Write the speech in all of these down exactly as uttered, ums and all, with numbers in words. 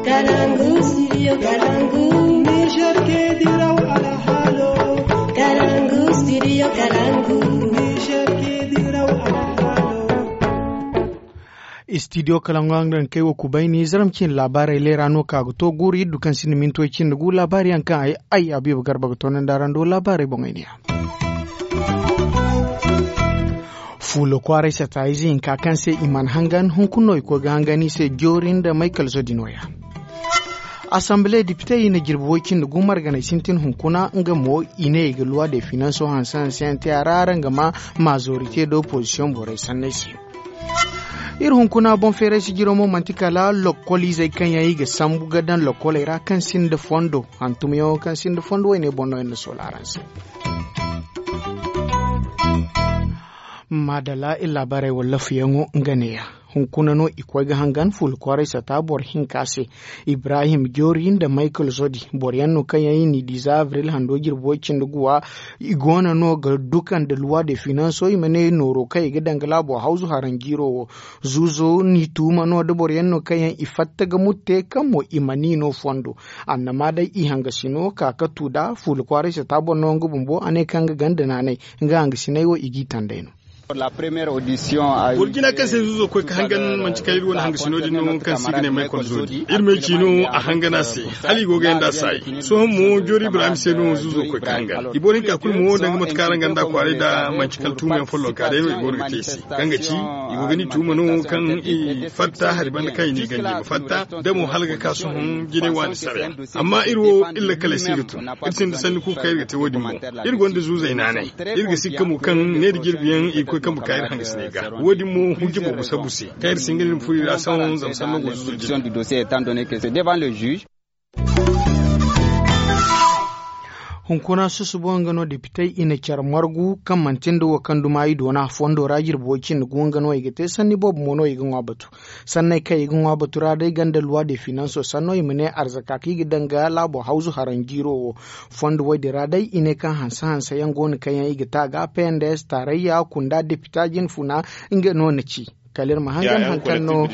Kalangu, studio Kalangu. Niger ke diraw alhalo. Kalangu, studio Kalangu. Niger ke diraw alhalo. Studio Kalangu, araŋ ga kay wo kubayni zaram cine laabaarey leera no ka ga to guuru iddu kaŋ sinda mintoy cindi gu laabaari yaŋ kaŋ ay, ay Abiba Garba ga to nanda araŋ do laabaarey boŋey ne ya. Fuula kwaaray sata ize hinka kaŋ se i mana hangan hunkuna no i koy ga hangan i se joori nda maykal zodi nooya. Asambile depite i na jirbi way cindi gu marganay sintin hunkuna nga mo i ne i ga luwa de finanso hanse hanse yaŋ te a ra araŋ ga ma maazorite da opozisiyoŋ borey sanney se. Iri hunkuna boŋ feeray sijiro mo manti kala lokkol izey kaŋ yaŋ i ga sambu ga daŋ lokkoley ra kaŋ sinda fondo hantumyaŋo kaŋ sinda fondo wayne boŋ no iri na soola araŋ se. Maadalla iri laabaarey wala lafuyaŋo nga neeya. Hunkuna no i koy ga hangan fuula kwaaray sata boro hinka se. Ibrahim joori nda maykal zodi boro yaŋ no kaŋ yaŋ i n'i di za abril hando jirbi way cindi guwa. I goono no ga duka nda luwa de finanso i ma ne nooro kaŋ i ga daŋ ga laabo hawzu haranjiiro wo. Zuuzo n'i tuuma no da boro yaŋ no kaŋ yaŋ i fatta ga mutte kaŋ mo i ma ni no fondo. Annama day i hangasino ka ka tu da fuula kwaaray sata boro no nga bumbo a ne kaŋ ga ganda naanay. Nga hangasiney wo i g'i tanday no. Boro jina kaŋ se zuuzo koy ka hangan manti kaŋ iri wane hangasino din no kaŋ se i ga ne maykol zoodi iri ma ay ci no a hangan a se. Hala i go ga yanda a saayi sohõ mo joori ibrahim se no zuuzo koy ka hangan i boro hinka kulu mo danga mate kaŋ araŋ ganda kwaaray da manti kala tuumayaŋ follonka day no i go no ga te i se kaŋ ga ci i go ga ni tuuma no kaŋ i fatta hari banda kaŋ i n'i ganji ma fatta. Da mo hala ga ka sohõ jinay waani sara yaŋ. Amma iri wo iri lakkaley se ga tun iri sinda sanni kulu kaŋ iri ga te wo-din boŋ. Iri gonda zuuzey naanay iri ga sikka mo kaŋ neera jirbi yaŋ i ga koy kambe ka iri hangasiney ga. Wo-din mo hujja boobo sabu se kaŋ iri si hin ga nin furo i ra sohõ zama sanno go zuuzo jine. Hunkuna susubo nga no depitey i na care margu kaŋ manti nda wo kaŋ duma i doona fondo ra jirbi way cindi gu nga no i ga te sanni boobo mo no i ga ŋwa batu. Sanney kaŋ i ga ŋwa batu ra day ganda luwa de finanso sanno i ma ne arzaka kaŋ i ga daŋ ga laabo hawzu haranjiiro wo. Fondo woy din ra day i ne kaŋ hanse hanse yaŋ go no kaŋ yaŋ i ga te a ga pnds taarayya kunda depita jinfuna nga no na ci. Kala iri ma hangan hari kaŋ no.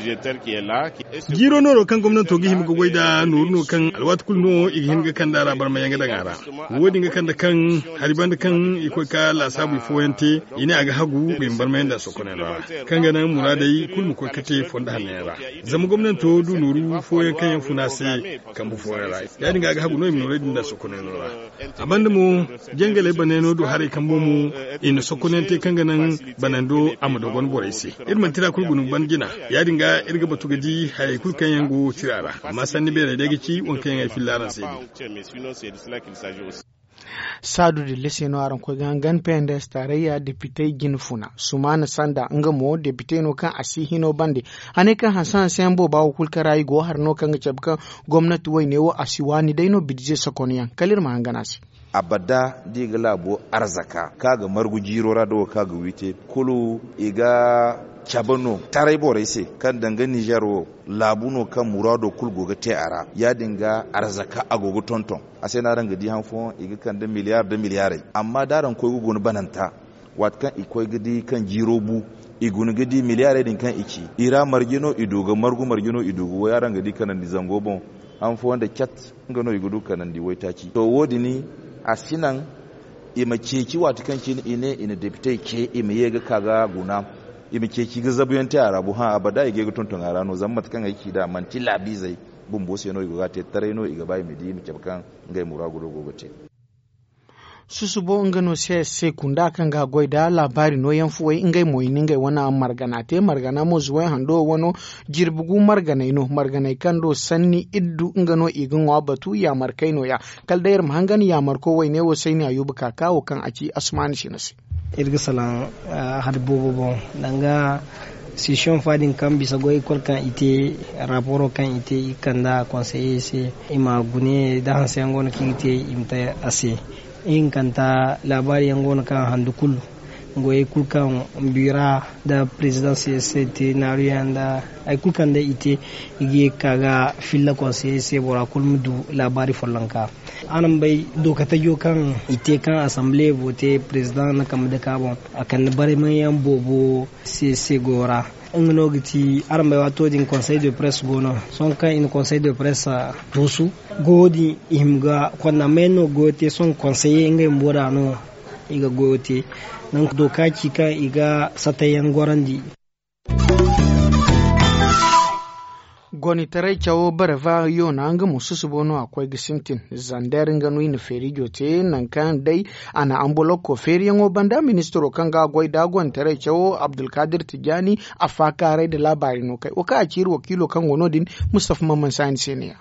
Jiiro nooro kaŋ gomnanto ga hima ga goy nd'a nooru no kaŋ alwaati kulu no i ga hin ga kand'a ra barmayaŋ ga daŋ a ra. Wo-din ga kande kaŋ hari banda kaŋ i koy ka laasaabu i fooyaŋ te i ne a ga hagu i ma barmayaŋ nd'a sokoney no ra kaŋ ga naŋ muraadey kulu ma koy ga te fondo hanno yaŋ ra. Zama gomnanto du nooru fooyaŋ kaŋ yaŋ funa se kambe fooyaŋ ra. Ya-din ga a ga hagu no i ma noorey din nd'a sokoney no ra. A banda mo jangaley baney no du haray kambo mo i na sokonante kaŋ ga naŋ banando a ma dogon borey se. Iri mana tira kulu guna banda jina. Ya-din ga iri ga batu ga di hayey kulu kaŋ yaŋ go tira ra amma sanni beerey day ga ci waŋ kaŋ yaŋ ay filla araŋ se din. Saadu dilla se no araŋ koy ga hangan pnds taarayya depitey jinfuna sumaana sanda nga mo depitey no kaŋ a si hino bande. Hane kaŋ hanse hanse yaŋ booba wo kulu kaŋ ra i go hari no kaŋ ga cabe kaŋ gomnati wayne wo a si waani day no bidze sokonyaŋ kala iri ma hangan a se. Abada da i ga laabo arzaka kaŋ a ga margu jiiro ra da wo kaŋ a ga wiite kulu i ga cabe no taray borey se kaŋ danga nizer wo laabu no kaŋ muraado kulu go ga te a ra. Ya-din ga arzaka a go ga tonton a se no araŋ ga di han fooyaŋ i ga kande miliyar nda miliyarey amma da araŋ koy ga guna bananta waati kaŋ i koy ga di kaŋ jiiro bu i guna ga di miliyarey din kaŋ i ci i ra marje no i du ga margu marje no i du ga way araŋ ga di kanandi zango boŋ. Han fooyaŋ nda cat nga no i ga du kanandi waytaaci to wo- din a si naŋ i ma ceeci waati kaŋ cine i ne i na depitey ce i ma ye ga ka ga guna i ma ceeci ga zabuyaŋ te a ra bo hã abada i ga ye ga tonton a ra no zama mate kaŋ ay ci nd'a manti laabiizey bumbo se no i go ga a te taray no i ga ba i ma di i ma cabe kaŋ ngey muraado go ga te. Susubo nga no se se kunda kaŋ ga goy da laabaari nooyaŋ fuwey ngey mo i na ngey wane margana te margana mo zuway hando wano jirbi gu marganey no marganey kaŋ do sanni iddu nga no i ga ŋwa batu yaamarkey nooya. Kala day iri ma hangan yaamarko wayne wo sayni ayuba kaaka wo kaŋ a ci asmaani sina se. Iri ga salaŋ hari boobo boŋ danga sesiyoŋ fa din kaŋ bisa goy kulu kaŋ i te raporo kaŋ i te i kand'a konseye se i ma gune da hanseyaŋ go no kaŋ i ga te i ma te a se. Ihinkanta laabaari yaŋ go no kaŋ handu kulu goyey kulu kaŋ bira nda prezidanse se te naaruyaŋ nda hari kulu kaŋ day i te i ga ye ga ka ga filla konseye se bora kulu ma du laabaari follonka. Araŋ bay dookatajo kaŋ i te kaŋ asanbile vote prezidaŋ na kambe dake a boŋ a kande baraymanyaŋ boobo se se goyo ra. Nga no ga ti araŋ bay waato din konsey de presse go no. Sohõ kaŋ i na konsey de presse tuusu, goyo din i hima ga konda may no goyo te sohõ konseye ngey bumbo da no i ga goyo te. Nangu do ka ci kaŋ i ga satayyaŋ gorandi. Gonitaray cawo barava yoona nga mo susubo no a koy ga sintin zander nga no i na feerijo te nangu kaŋ day a na ambolokko feeriyaŋo banda ministiro kaŋ ga a goy da gonitaray cawo abdulkadir tijani a faakaaray nda laabaari no kay wo kaŋ a ci iri wakiilo kaŋ go no- din. Mustafa mamman saani se ne ya.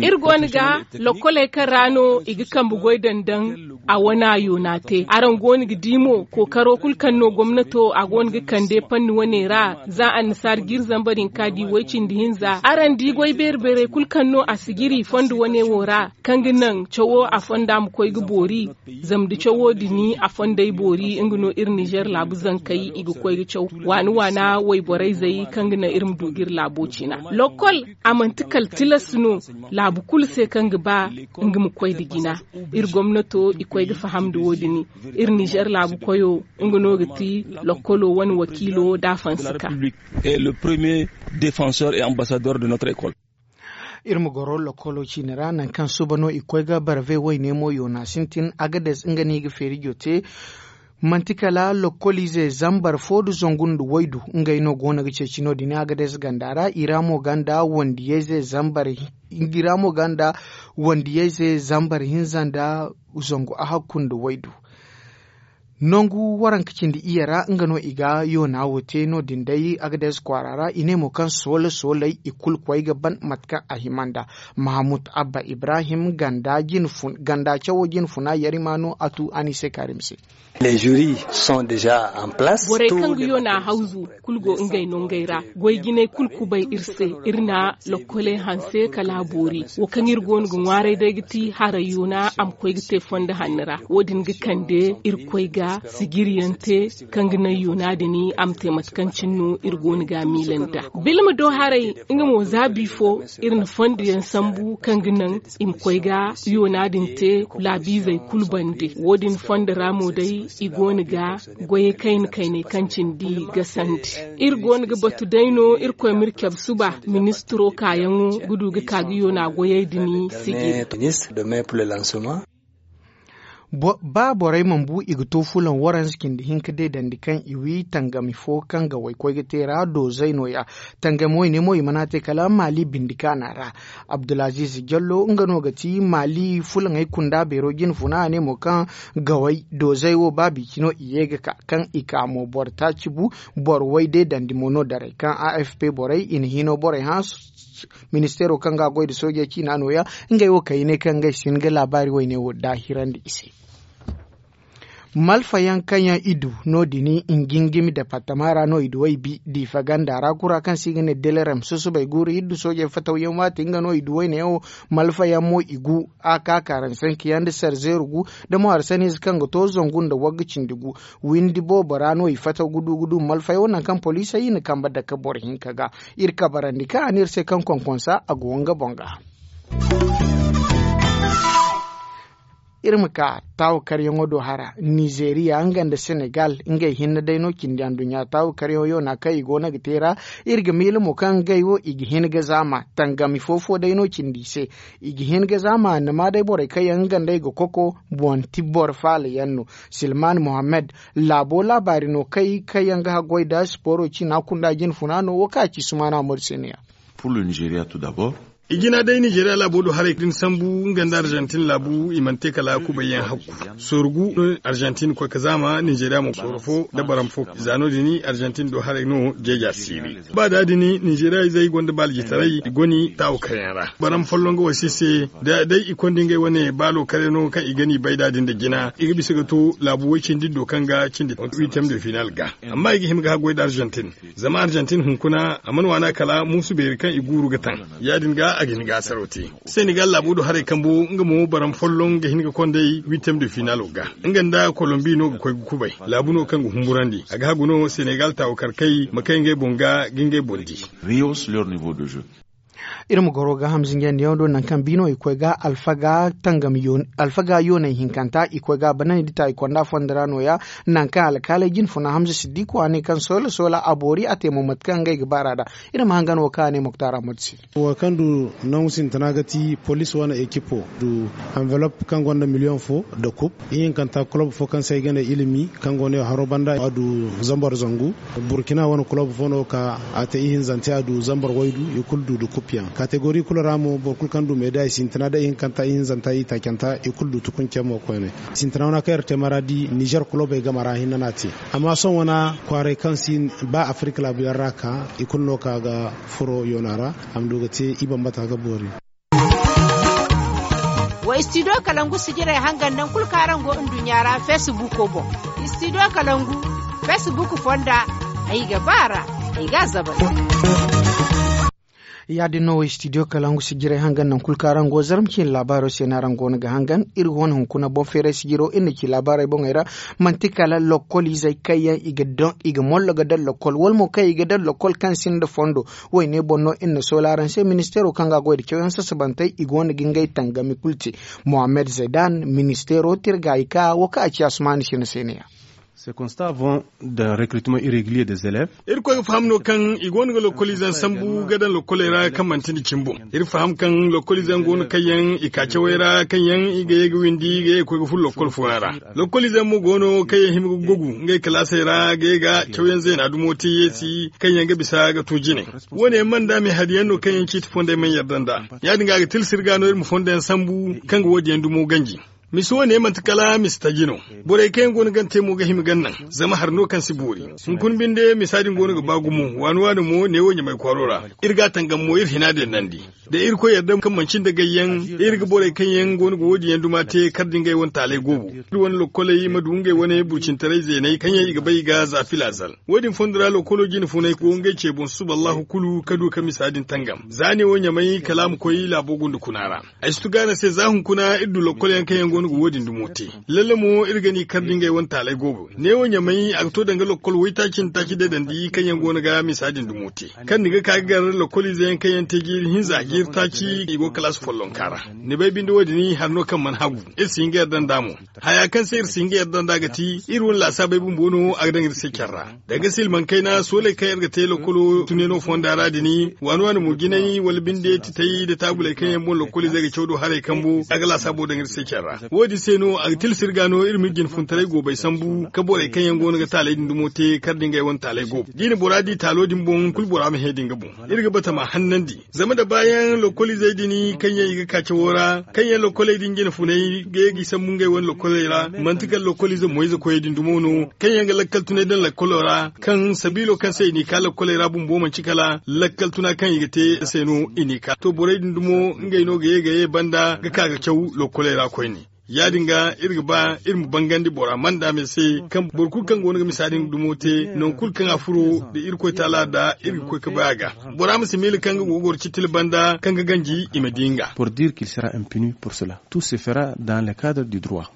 Iri go no ga lokkoley kaŋ ra no i ga kambe goy daŋ daŋ a wane a yoona te araŋ go no ga di mo kookaro kulu kaŋ no gomnato a go no ga kande panni wane ra za annasaara jiiri zambar hinka di way cindi hinza araŋ di goy beeri beerey kulu kaŋ no a si jiri fondo wane wo ra kaŋ ga naŋ cawo a fonda ma koy ga boori. Zama da cawo din a fondey boori nga no iri nizer laabu zankey i ga koy ga caw waana waana wayborey zey kaŋ ga naŋ iri ma du ga iri laabo cina lokkol a manti kala tilas no laabu kulu se kaŋ ga ba nga ma koy nda jina. Iri gomnato i koy ga faham nda wo- din iri nizer laabu koyo nga no ga ti lokkolo wane wakiilo da a fansi ka. Iri ma goro lokkolo ciine ra nangu kaŋ suba no i ga koy ga barve wayne mo yoona sintin agades nga no i ga feerijo te. Manti kala lokkoliize zambar fo nda zangu nda waydu ngey no go no ga ceeci no- din agades ganda ra i ra mo ganda wandiyayze zambar hinza nda zangu ahakku nda waydu. Nangu waranka cindi iyye ra nga no i ga yoona wo te no- din day agades kwaara ra i ne mo kaŋ soole sooley i kulu koy ga ban mate kaŋ a hima nda. Mahamud abba ibrahim ganda cawo jine funa yarima no a tu a ni se kaarim se. Borey kaŋ ga yoona hawzu kulu go ngey nongey ra. Goy jinay kulu kubay iri se. Iri na lokkoley hanse kala a boori wo kaŋ iri go no ga ŋwaaray day ga ti haray yoona a ma koy ga te fondo hanno ra wo- din ga kande iri koy ga sijiriyaŋ te kaŋ ga naŋ yoona din a ma te mate kaŋ cine no iri go no ga a miila nd'a. Bilma do haray nga mo za bi fo iri na fondoyaŋ sambu kaŋ ga naŋ i ma koy ga yoona din te laabiizey kulu bande. Wo- din fondo ra mo day i go no ga goyey kayna kayney kaŋ cindi ga sandi. Iri go no ga batu day no irkoy ma iri cabe suba ministiro kaayaŋo ga du ga ka ga yoona goyey din sijiri. Ba borey mana bu i ga to fulaŋ waranza cindi hinka deedandi kaŋ i wi tangami fo kaŋ ga waykoy ga te ra doozey no- ya. Tangami wayne mo i mana te kala maali bindi kaana ra. Abdulaziiz jallo nga no ga ti maali fulaŋey kunda beero jine funa a ne mo kaŋ gawey doozey wo ba bici no i ye ga ka kaŋ i ka mo boro taaci bu. Boro way deedandi mo no daray kaŋ afp borey i na hino borey hã. Ministeero kaŋ ga a goy nda soojey ciina no- ya ngey wo kay i ne kaŋ ngey si hin ga laabaari wayne wo daahirandi i se. Malfayaŋ kaŋ yaŋ i du no- din i jingimi departama ra no i du ay bi diifa ganda ra kura kaŋ se i ga ne delerem susubay guuru iri du soojey fatawyaŋ waati nga no i du wayne yaŋ wo. Malfayaŋ mo i gu a ka karansanki yaŋ nda sarzeeru gu nda mo harsaniize kaŋ ga to zangu nda wagga cindi gu. Windi boobo ra no i fataw ga du ga du malfayaŋ wo nangu kaŋ poliisey i na kambe dake boro hinka ga. Iri kabarandi kaŋ a ne iri se kaŋ konkonsa a go nga boŋ ga. Iri ma ka taawakaryaŋo do hara nizeeriya nga nda senegal ngey hinne day no cindi anduɲɲa taawakaryaŋo yoona kaŋ i go no ga te ra. Iri ga miila mo kaŋ ngey wo i ga hin ga zaama tangami fo-fo day no cindi i se. I ga hin ga zaama annama day borey kaŋ yaŋ nga nd'ey ga koko boŋ ti boro faala yaŋ no. Silman mohammed laabo laabaari no kay kaŋ yaŋ ga haggoy nda sipooro ciina kunda jine funa no wo kaŋ a ci sumaana mori se no- ya. I jina day nizeeriya laabo do haray din sambu nga nda arzantin laabu i mana te kala kubayyaŋ hakku. Sooru gu no arzantin koy ka zaama nizeeriya mo sooro fo nda baram fo za no- din arzantin do haray no jeeja siiri. Ba da din nizeeriya izey gonda baalajitaray i goni taawo karyaŋ ra. Baram folloŋ ga wasi se da day i konda ngey wane baalo kare no kaŋ i gani bay da din da jina i ga bisa ga to laabu way cindi do kaŋ ga cindi huitième de final ga. Amma i ga hima ga haggoy da arzantin zama arzantin hunkuna a mana waana kala muusu beeri kaŋ i guuru ga taŋ. Ya- din ga a ga hin ga asaro te. Senegal laabo do haray kambo nga mo baram folloŋ ga hin ga kondey huitième de finalo ga. Nga nda kolombi no ga koy ga kubay laabu no kaŋ ga humburandi a ga hagu no senegal taawo karkey ma kay ngey boŋ ga ga ngey boŋ di. Rios leur niveau de jeu. Iri ma goro ga hamza njandiyaŋo do nangu kaŋ biino i koy ga alfaga yooney hinkanta i koy ga a banandi ta i konda fondo ra nooya. Nangu kaŋ alkaaley jinfuna hamza siddiku a ne kaŋ soola soola a boori a te mo mate kaŋ ngey ga baara nd'a. Iri ma hangan wo kaŋ a ne moktar ahmad se. Wo kaŋ du nangu sintina ga ti police wane ekipo du anveloppe kaŋ gonda miliyoŋ fo nda kub. Ihinkanta kulob fo kaŋ se ay ga ne ilimi kaŋ go ne haro banda a du zambar zangu. Burkina wane kulob fo no ka a te ihinzante a du zambar waydu i kulu du nda kub yaŋ kategori kulu ra mo boro kulu kaŋ du meeda i sintina nda ihinkanta ihinzanta i taacanta i kulu du tukunce mo koyne. Sintina wana kaŋ iri te maradi nizer kulobey game ra hinne no a te. Amma sohõ wana kwaaray kaŋ si ba afirik laabu yaŋ ra ka i kulu no ka ga furo yoona ra a ma du ga te i bambata ga boori. Wa istidiyo kalangu sijirey hangan nangu kulu kaŋ araŋ go nduɲɲa ra feesibuuko boŋ. Istidiyo kalangu feesibuuku fonda ay ga ba a ra. Ay ga a zabal. Ya- din no wo istidiyo kalangu sijirey hangan nangu kulu kaŋ araŋ go zarma ciine laabaaro se no araŋ go no ga hangan. Iri go no hunkuna boŋ feeray sijiro iri na ci laabaarey boŋey ra. Manti kala lokkol izey kaŋ yaŋ i ga mollo ga daŋ lokkol wala mo kaŋ i ga daŋ lokkol kaŋ sinda fondo. Woyne boŋ no iri na soola araŋ se ministeero kaŋ ga a goy nda cawyaŋ sasabantey i go no ga ngey tangami kulu te. Mohammed zaydan ministeero tirgaayi ka wo kaŋ a ci asumaani sina se ne ya. Iri koy ga faham no kaŋ i go no ga lokkoliize sambu ga daŋ lokkoley ra kaŋ manti nda cimi boŋ. Iri faham kaŋ lokkoliize go no kaŋ yaŋ i ka cawey ra kaŋ yaŋ i ga ye ga windi ga ye ga koy ga furo lokkol fooyaŋ ra. Lokkoliize mo go no kaŋ yaŋ hima ga gogu ngey kalaasey ra ga ye ga cawyaŋ zeena dumo te yeesi kaŋ yaŋ ga bisa ga to jine. Wo- ne yaŋ mana nda me hari yaŋ no kaŋ yaŋ ciiti fondey mana yarda nd'a. Ya- din ga a ga tilas iri ga no iri ma fondo yaŋ sambu kaŋ ga wo- din yaŋ dumo ganji. Misa wo- ne manti kala misa taji no. Borey kaŋ yaŋ go no gante mo ga hima ga naŋ zama hari no kaŋ si boori. Hunkuna binde misa din go no ga ba gumo waani waani mo neewo ɲamay kwaaro ra. Iri ga a tangam mo iri hina dendandi da irkoy yarda kaŋ manci nda gayyaŋ. Iri ga borey kaŋ yaŋ go no ga wo- din yaŋ duma te kar da ngey wane taalay goobo iri wane lokkoley ma du ngey wane burcintaray zeeney kaŋ yaŋ i ga bay i ga za filazal. Wo- din fondo ra lokkolo jine funay go ngey ce boŋ susuba allahu kulu ka du ka misa din tangam za neewo ɲamay kala a ma koy laabo gunda kuna ra. Ay si tu ga no se za hunkuna iri du lokkol yaŋ kaŋ yaŋ go no ga wo- din dumo te. Lalle mo iri ga ni kar da ngey wane taalay goobo neewo ɲamay a ga to danga lokkol waytaaci nda taaci deedandi kaŋ yaŋ go no ga misa din dumo te. Kaŋ ni ga ka ga gar lokkoliize yaŋ kaŋ yaŋ te jiiri hinza jiiri taaci i go kalaasi follonka ra. Ni bay binde wo- din hari no kaŋ mana hagu. Iri si hin ga yarda nd'a mo. Haya kaŋ se iri si hin ga yarda nd'a ga ti iri wane laasaabey bumbo no a ga daŋ iri se care ra. Danga silmaŋ kayna sooley kaŋ iri ga te lokkolo tuneno fonda ra din waani waani mo jinay wala binde titay nda taabuley kaŋ yaŋ boŋ lokkoliizey ga caw do haray kambo a ga laasaabo daŋ iri se care ra. Wo- din se no a ga tilas iri ga no iri ma iri jinfuntaray goobey sambu ka borey kaŋ yaŋ go no ga taaley din dumo te kar da ngey wane taaley goobo da i na bora di taalo din boŋ kulu bora ma hẽ da nga boŋ. Iri ga bata ma hannandi. Zama da baayaŋ lokkoliizey din kaŋ yaŋ i ga ka cawo ra kaŋ yaŋ lokkoley din jine funay ga ye ga i sambu ngey wane lokkoley ra manti kala lokkoliize moyze koyey din dumo no kaŋ yaŋ ga lakkal tunay daŋ lakkolo ra kaŋ sabiilo kaŋ se i n'i ka lokkoley ra bumbo manti kala lakkal tuna kaŋ i ga te se no i n'i ka to borey din dumo ngey no ga ye ga ye banda ga ka ga caw lokkoley ra koyne. Ya- din ga iri ga ba iri ma bangandi bora mana nda me se kaŋ boro kulu kaŋ go no ga misa din dumo te nangu kulu kaŋ a furo da irkoy taala da iri ga koy ga bay a ga. Bora ma si miila kaŋ ga go ga goro citila banda kaŋ ga ganji i ma di nga. Pour dire qu'il sera impuni pour cela tout se fera dans le cadre du droit.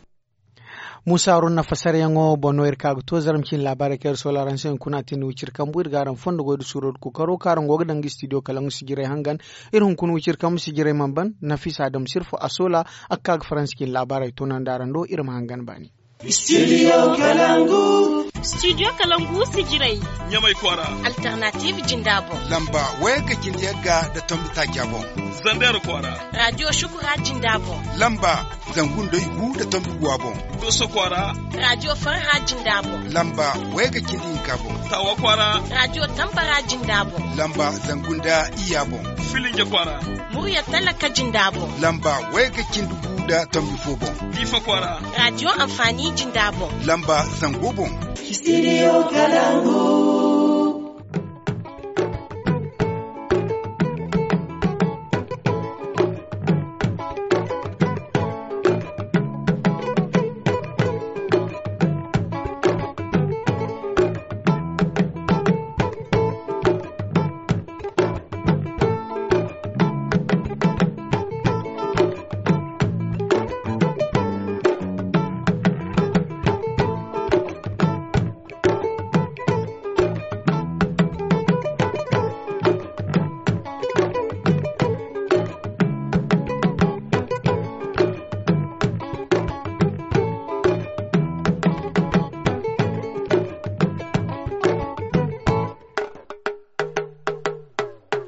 Musa haruna fasaryaŋo boŋ no iri ka ga to zarma ciine laabaarey kaŋ iri soola araŋ se hunkuna a tindi wiciri kambu iri ga araŋ fondo goy nda suuro nda kookaro kaŋ araŋ go ga daŋ ga istidiyo kalaŋ ga sijirey hangan. Iri hunkuna wiciri kambu sijirey mana ban nafisa adamu sirfo a soola a ga ka ga faransa ciine laabaarey toonandi araŋ do iri ma hangan baani. Studio kalangu. Studio kalangu sijirey. Ɲamay kwaara. Alternative jinda boŋ. Lamba wayga cindi yagga nda tombi taaca boŋ. Zandar kwaara. Radio shukura jinda boŋ. Lamba zangu nda igu nda tombi guwa boŋ. Doso kwaara. Radio farha jinda boŋ. Lamba wayga cindi hinka boŋ. Tawa kwaara. Radio tambara jinda boŋ. Lamba zangu nda iya boŋ. Filinja kwaara. Murya talaka jinda boŋ. Lamba wayga cindi gu nda tombi fo boŋ. Difa kwaara. Radio amfani jinda boŋ. Lamba zango boŋ. Studio kalangu.